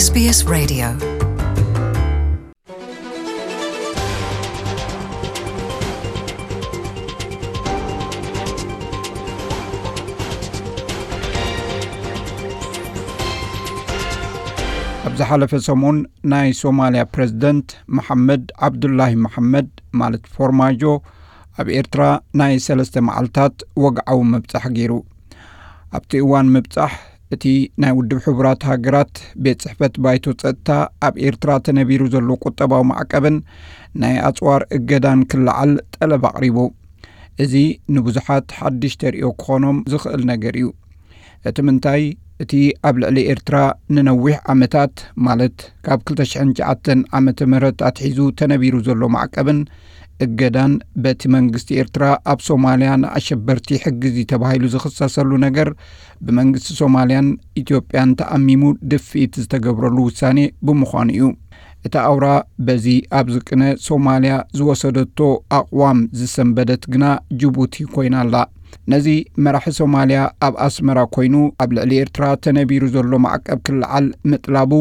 SBS Radio. ኣብ ዝሓለፈ ሰሙን ናይ ሶማልያ ፕረዚደንት መሓመድ ዓብዱላሂ መሓመድ፣ ማለት ፎርማጆ፣ ኣብ ኤርትራ ናይ ሰለስተ መዓልታት ወግዓዊ ምብጻሕ ገይሩ። ኣብቲ እዋን ምብጻሕ፣ እቲ ናይ ውድብ ሕቡራት ሃገራት ቤት ጽሕፈት ባይቶ ጸጥታ፣ ኣብ ኤርትራ ተነቢሩ ዘሎ ቁጠባዊ ማዕቀብን ናይ ኣጽዋር እገዳን ክለዓል ጠለብ ኣቕሪቡ። እዚ ንብዙሓት ሓድሽ ተርእዮ ክኾኖም ዝኽእል ነገር እዩ። እቲ ምንታይ፣ እቲ ኣብ ልዕሊ ኤርትራ ንነዊሕ ዓመታት፣ ማለት ካብ ክልተ ሽሕን ትሽዓተን ዓመተ ምህረት ኣትሒዙ ተነቢሩ ዘሎ ማዕቀብን እገዳን፣ በቲ መንግስቲ ኤርትራ ኣብ ሶማልያ ንኣሸበርቲ ሕግዚ ተባሂሉ ዝኽሰሰሉ ነገር፣ ብመንግስቲ ሶማልያን ኢትዮጵያን ተኣሚሙ ድፍኢት ዝተገብረሉ ውሳኔ ብምዃኑ እዩ። እታ ኣውራ በዚ ኣብዚ ቅነ ሶማልያ ዝወሰደቶ ኣቕዋም ዝሰንበደት ግና ጅቡቲ ኮይና ኣላ። ነዚ መራሒ ሶማልያ ኣብ ኣስመራ ኮይኑ ኣብ ልዕሊ ኤርትራ ተነቢሩ ዘሎ ማዕቀብ ክለዓል ምጥላቡ፣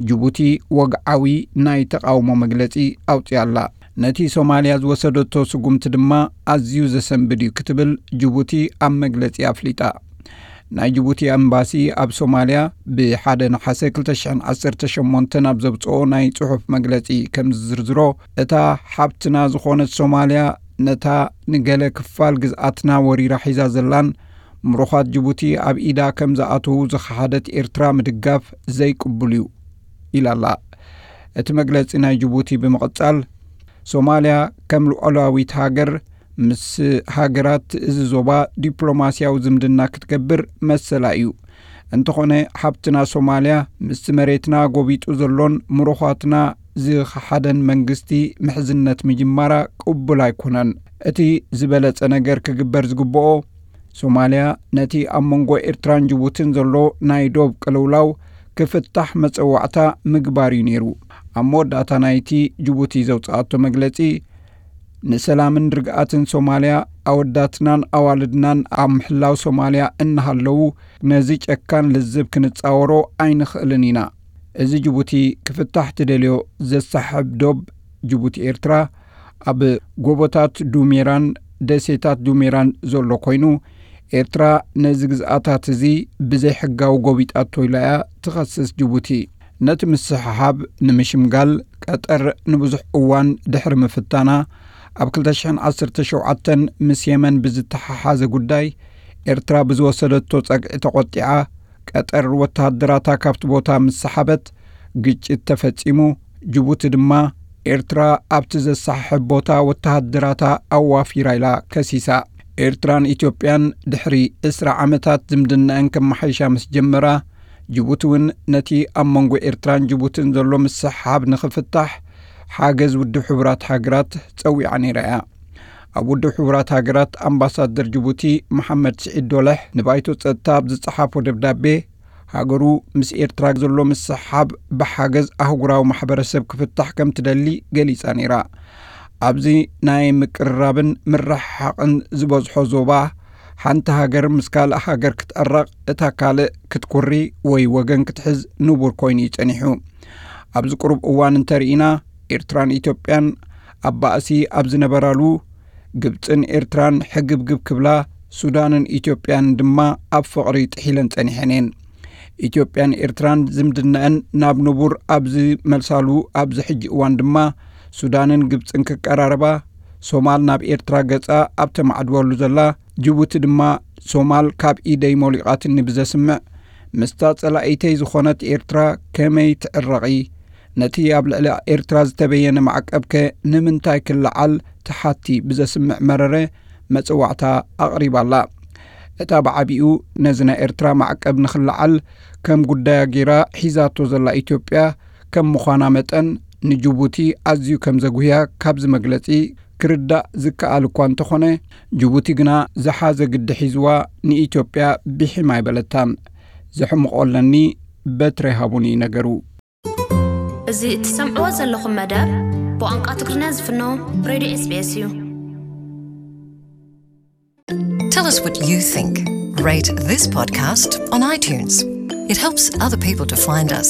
ጅቡቲ ወግዓዊ ናይ ተቓውሞ መግለጺ ኣውጺኣ ኣላ። ነቲ ሶማልያ ዝወሰደቶ ስጉምቲ ድማ ኣዝዩ ዘሰንብድ እዩ ክትብል ጅቡቲ ኣብ መግለጺ ኣፍሊጣ። ናይ ጅቡቲ ኣምባሲ ኣብ ሶማልያ ብሓደ ነሓሰ ክልተ ሽሕን ዓሰርተ ሸሞንተን ኣብ ዘብጽኦ ናይ ጽሑፍ መግለጺ ከም ዝዝርዝሮ፣ እታ ሓብትና ዝኾነት ሶማልያ፣ ነታ ንገለ ክፋል ግዝኣትና ወሪራ ሒዛ ዘላን ምሩኻት ጅቡቲ ኣብ ኢዳ ከም ዝኣተዉ ዝኸሓደት ኤርትራ ምድጋፍ ዘይቅቡል እዩ ኢላ ኣላ። እቲ መግለጺ ናይ ጅቡቲ ብምቕጻል፣ ሶማልያ ከም ሉዓላዊት ሃገር ምስ ሃገራት እዚ ዞባ ዲፕሎማስያዊ ዝምድና ክትገብር መሰላ እዩ። እንተኾነ፣ ሓብትና ሶማልያ ምስቲ መሬትና ጎቢጡ ዘሎን ምሩኻትና ዝኸሓደን መንግስቲ ምሕዝነት ምጅማራ ቅቡል ኣይኮነን። እቲ ዝበለጸ ነገር ክግበር ዝግብኦ፣ ሶማልያ ነቲ ኣብ መንጎ ኤርትራን ጅቡትን ዘሎ ናይ ዶብ ቅልውላው ክፍታሕ መጸዋዕታ ምግባር እዩ ነይሩ። ኣብ መወዳእታ ናይቲ ጅቡቲ ዘውጽኣቶ መግለጺ፣ ንሰላምን ርግኣትን ሶማልያ፣ ኣወዳትናን ኣዋልድናን ኣብ ምሕላው ሶማልያ እናሃለዉ፣ ነዚ ጨካን ልዝብ ክንጻወሮ ኣይንኽእልን ኢና። እዚ ጅቡቲ ክፍታሕ ትደልዮ ዘሳሕብ ዶብ ጅቡቲ ኤርትራ፣ ኣብ ጎቦታት ዱሜራን ደሴታት ዱሜራን ዘሎ ኮይኑ፣ ኤርትራ ነዚ ግዝኣታት እዚ ብዘይሕጋዊ ጎቢጣቶ ኢላ እያ ትኸስስ ጅቡቲ። ነቲ ምስሕሓብ ንምሽምጋል፣ ቀጠር ንብዙሕ እዋን ድሕሪ ምፍታና፣ ኣብ ክልተ ሽሕን ዓሰርተ ሸውዓተን ምስ የመን ብዝተሓሓዘ ጉዳይ፣ ኤርትራ ብዝወሰደቶ ጸግዒ ተቖጢዓ፣ ቀጠር ወተሃደራታ ካብቲ ቦታ ምስ ሰሓበት፣ ግጭት ተፈጺሙ። ጅቡቲ ድማ፣ ኤርትራ ኣብቲ ዘሰሓሕብ ቦታ ወተሃደራታ ኣዋፊራ ኢላ ከሲሳ። ኤርትራን ኢትዮጵያን ድሕሪ ዕስራ ዓመታት ዝምድናኣን ከመሓይሻ ምስ ጀመራ፣ ጅቡቲ እውን ነቲ ኣብ መንጎ ኤርትራን ጅቡትን ዘሎ ምስሕሓብ ንኽፍታሕ ሓገዝ ውድብ ሕቡራት ሃገራት ጸዊዓ ነይራ እያ። ኣብ ውድብ ሕቡራት ሃገራት ኣምባሳደር ጅቡቲ መሓመድ ስዒድ ዶለሕ ንባይቶ ጸጥታ ኣብ ዝጸሓፎ ደብዳቤ፣ ሃገሩ ምስ ኤርትራ ዘሎ ምስሕሓብ ብሓገዝ ኣህጉራዊ ማሕበረሰብ ክፍታሕ ከም ትደሊ ገሊጻ ነይራ። ኣብዚ ናይ ምቅርራብን ምርሕሓቕን ዝበዝሖ ዞባ፣ ሓንቲ ሃገር ምስ ካልእ ሃገር ክትዕረቕ፣ እታ ካልእ ክትኩሪ ወይ ወገን ክትሕዝ ንቡር ኮይኑ እዩ ጸኒሑ። ኣብዚ ቅሩብ እዋን እንተርኢና፣ ኤርትራን ኢትዮጵያን ኣብ ባእሲ ኣብ ዝነበራሉ፣ ግብጽን ኤርትራን ሕግብግብ ክብላ፣ ሱዳንን ኢትዮጵያን ድማ ኣብ ፍቕሪ ጥሒለን ጸኒሐን እየን። ኢትዮጵያን ኤርትራን ዝምድነአን ናብ ንቡር ኣብ ዝመልሳሉ ኣብዚ ሕጂ እዋን ድማ፣ ሱዳንን ግብጽን ክቀራረባ፣ ሶማል ናብ ኤርትራ ገጻ ኣብ ተማዕድወሉ ዘላ፣ ጅቡቲ ድማ ሶማል ካብ ኢደይ ሞሊቓትኒ ብዘስምዕ፣ ምስታ ጸላኢተይ ዝኾነት ኤርትራ ከመይ ትዕረቒ? ነቲ ኣብ ልዕሊ ኤርትራ ዝተበየነ ማዕቀብከ ንምንታይ ክለዓል ትሓቲ ብዘስምዕ መረረ መጽዋዕታ ኣቕሪባ ኣላ። እታ ብዓቢኡ ነዚ ናይ ኤርትራ ማዕቀብ ንኽለዓል ከም ጉዳያ ገይራ ሒዛቶ ዘላ ኢትዮጵያ ከም ምዃና መጠን፣ ንጅቡቲ ኣዝዩ ከም ዘጉህያ ካብዚ መግለጺ ክርዳእ ዝከኣል እኳ እንተኾነ፣ ጅቡቲ ግና ዝሓዘ ግዲ ሒዝዋ ንኢትዮጵያ ብሒም ኣይበለታን። ዘሕምቖ ኣለኒ፣ በትሪ ሃቡኒ ነገሩ። እዚ እትሰምዕዎ ዘለኹም መደብ ብቋንቋ ትግርኛ ዝፍኖ ሬድዮ ኤስቢኤስ እዩ። Tell us what you think. Rate this podcast on iTunes. It helps other people to find us.